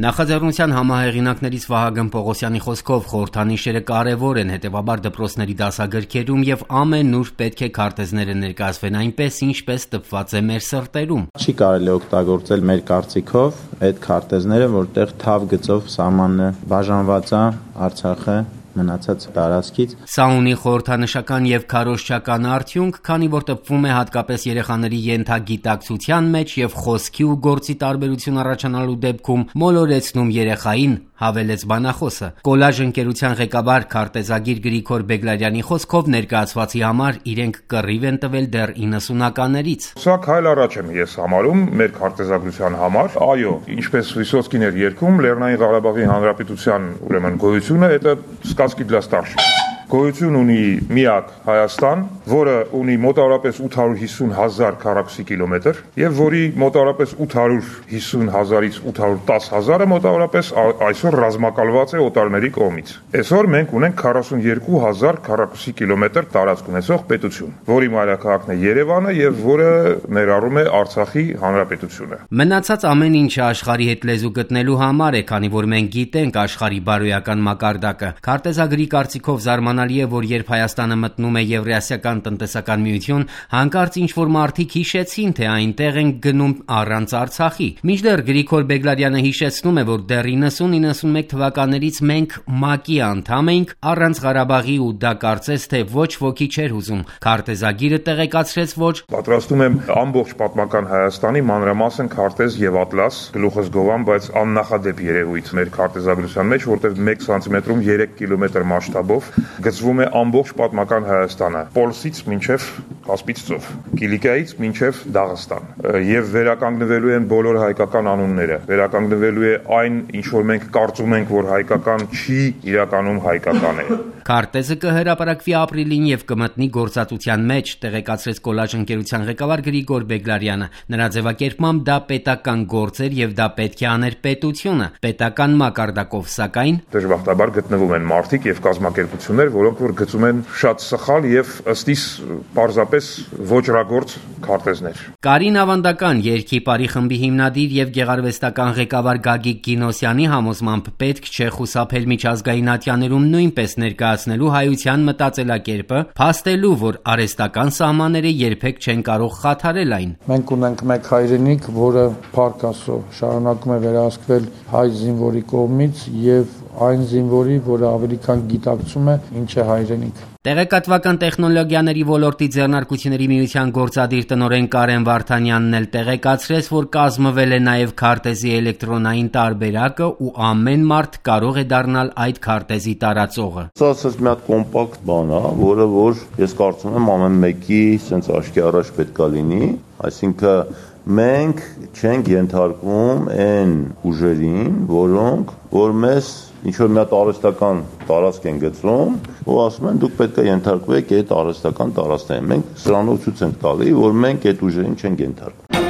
Նախաձեռնության համահեղինակներից Վահագն Պողոսյանի խոսքով խորհրդանիշերը կարևոր են, հետևաբար դպրոցների դասագրքերում եւ ամեն ուր պետք է քարտեզները ներկայացվեն այնպես, ինչպես տպված է մեր սրտերում։ Չի կարելի օգտագործել մեր կարծիքով այդ քարտեզները, որտեղ թավ գծով սահմանն բաժանված է Արցախը մնացած տարածքից։ Սա ունի խորհրդանշական եւ քարոզչական արդյունք, քանի որ տպվում է հատկապես երեխաների ենթագիտակցության մեջ եւ խոսքի ու գործի տարբերություն առաջանալու դեպքում մոլորեցնում երեխային, հավելեց բանախոսը։ Կոլաժ ընկերության ղեկավար քարտեզագիր Գրիգոր Բեգլարյանի խոսքով ներկայացվածի համար իրենք կռիվ են տվել դեռ 90-ականներից։ Սա քայլ առաջ եմ ես համարում մեր քարտեզագրության համար։ Այո, ինչպես Վիսոցկին էր երգում, Լեռնային Ղարաբաղի Հանրապետության ուրեմն գոյությունը это сказки для старших։ Գոյություն ունի միակ Հայաստան, որը ունի մոտավորապես 850,000 քառակուսի կիլոմետր եւ որի մոտավորապես 850,000-ից 810,000-ը մոտավորապես այսօր ռազմակալված է օտարների կողմից։ Այսօր մենք ունենք 42,000 քառակուսի կիլոմետր տարածք ունեցող պետություն, որի մայրաքաղաքն է Երևանը եւ որը ներառում է Արցախի հանրապետությունը։ Մնացած ամեն ինչը աշխարհի հետ լեզու գտնելու համար է, քանի որ մենք գիտենք աշխարհի բարոյական մակարդակը։ Քարտեզագրի կարծիքով զարմանալի է, որ երբ Հայաստանը մտնում է Եվրասիական տնտեսական միություն, հանկարծ ինչ-որ մարդիկ հիշեցին, թե այնտեղ են գնում առանց Արցախի։ Մինչդեռ Գրիգոր Բեգլարյանը հիշեցնում է, որ դեռ 90-91 թվականներից մենք ՄԱԿ-ի անդամ էինք առանց Ղարաբաղի ու դա կարծես թե ոչ ոքի չէր հուզում։ Քարտեզագիրը տեղեկացրեց, որ պատրաստում եմ ամբողջ պատմական Հայաստանի մանրամասն քարտեզ եւ ատլաս, գլուխս գովամ, բայց աննախադեպ երևույթ մեր քարտեզագրության մեջ, որտեղ 1 սանտիմետրում 3 կիլոմետր մասշտաբով գծվում է ամբողջ պատմական Հայաստանը, Պոլսից մինչև Կասպից ծով, Կիլիկիայից մինչև Դաղստան, եւ վերականգնվելու են բոլոր հայկական անունները, վերականգնվելու է այն, ինչ որ մենք կարծում ենք, որ հայկական չի, իրականում հայկական է։ Քարտեզը կհրապարակվի ապրիլին եւ կմտնի գործածության մեջ, տեղեկացրեց Կոլաժ ընկերության ղեկավար Գրիգոր Բեգլարյանը։ Նրա ձևակերպմամբ դա պետական գործ էր եւ դա պետք է աներ պետությունը, պետական մակարդակով, սակայն դժբախտաբար գտնվում են մարդիկ եւ կազմակերպություններ, որոնք որ գծում են շատ սխալ եւ ըստիս պարզապես ոչրագործ քարտեզներ։ Կարին Ավանդական երգի Պարի խմբի հիմնադիր եւ գեղարվեստական ղեկավար Գագիկ Գինոսյանի համոզմամբ պետք չէ խուսափել միջազգային ատյաներում նույնպես ներկայացնելու հայության մտածելակերպը, փաստելու, որ արհեստական սահմանները երբեք չեն կարող խաթարել այն։ Մենք ունենք մեկ հայրենիք, որը փառք Աստծո շարունակում է վերահսկվել հայ զինվորի կողմից եւ այն զինվորի, որը ավելի քան գիտակցում է ինչ է հայրենիք։ Տեղեկատվական տեխնոլոգիաների ոլորտի ձեռնարկությունների միության գործադիր տնօրեն Կարեն Վարդանյանն էլ տեղեկացրեց, որ կազմվել է նաև քարտեզի էլեկտրոնային տարբերակը ու ամեն մարդ կարող է դառնալ այդ քարտեզի տարածողը։ Սա մի հատ կոմպակտ բան է, որը որ ես կարծում եմ ամեն մեկի sense աչքի առաջ պետք է լինի, այսինքն մենք չենք ենթարկվում այն ուժերին, որոնք որ մեզ ինչ-որ մի հատ արհեստական տարածք են գծում ու ասում են դուք պետք է ենթարկվեք այդ արհեստական տարածքներին։ Մենք սրանով ցույց ենք տալի, որ մենք այդ ուժերին չենք ենթարկվում։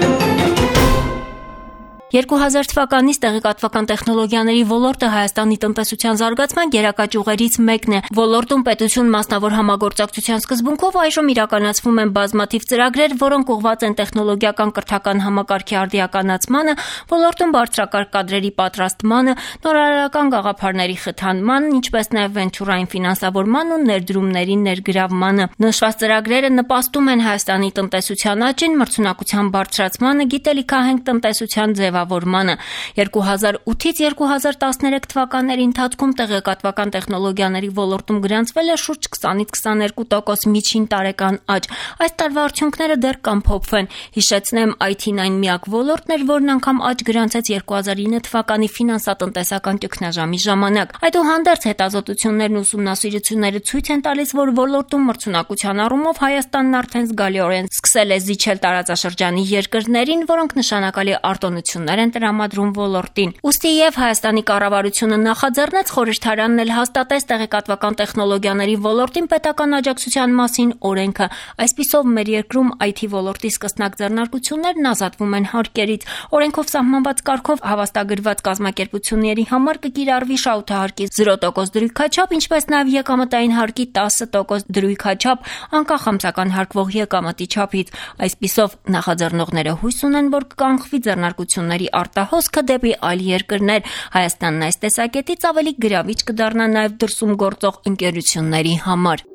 2000 թվականից տեղեկատվական տեխնոլոգիաների ոլորտը Հայաստանի տնտեսության զարգացման գերակա ճյուղերից մեկն է։ Ոլորտում պետություն մասնավոր համագործակցության սկզբունքով այժմ իրականացվում են բազմաթիվ ծրագրեր, որոնք ուղղված են տեխնոլոգիական կրթական համակարգի արդիականացմանը, ոլորտում բարձրակարգ կադրերի պատրաստմանը, նորարարական գաղափարների խթանմանն, ինչպես նաև վենչուրային ֆինանսավորման ու ներդրումների ներգրավմանը։ Նշված ծրագրերը նպաստում են Հայաստանի տնտեսության աճին, մրցունակության բարձրացմանը, գիտելիքահենք տնտեսության ձևավորմանը։ 2008-ից 2013 թվականների ընթացքում տեղեկատվական տեխնոլոգիաների ոլորտում գրանցվել է շուրջ 20-ից 22% միջին տարեկան աճ։ Այս տարվա արդյունքները դեռ կամփոփվեն։ Հիշեցնեմ, IT-ն այն միակ ոլորտն էր, որն անգամ աճ գրանցեց 2009 թվականի ֆինանսատնտեսական ճգնաժամի ժամանակ։ Այդուհանդերձ հետազոտություններն ու ուսումնասիրությունները ցույց են տալիս, որ ոլորտում մրցունակության առումով Հայաստանն արդեն զգալիորեն սկսել է զիջել տարածաշրջանի երկրներին, որոնք նշանակալի արտոնություններ են տրամադրում ոլորտին։ Ուստի եւ Հայաստանի կառավարությունը նախաձեռնեց, խորհրդարանն էլ հաստատեց տեղեկատվական տեխնոլոգիաների ոլորտին պետական աջակցության մասին օրենքը։ Այսպիսով մեր երկրում IT ոլորտի սկսնակ ձեռնարկություններն ազատվում են հարկերից։ Օրենքով սահմանված կարգով հավաստագրված կազմակերպությունների համար կկիրառվի շահութահարկի 0% դրույքաչափ, ինչպես նաև եկամտային հարկի 10% դրույքաչափ, անկախ ամսական հարկվող եկամտի չափից։ Այսպիսով նախաձեռնողները հույս ունեն, որ կկանխվի ձեռնարկությունների աշխատողների արտահոսքը դեպի այլ երկրներ։ Հայաստանն այս տեսակետից ավելի գրավիչ կդառնա նաև դրսում գործող ընկերությունների համար։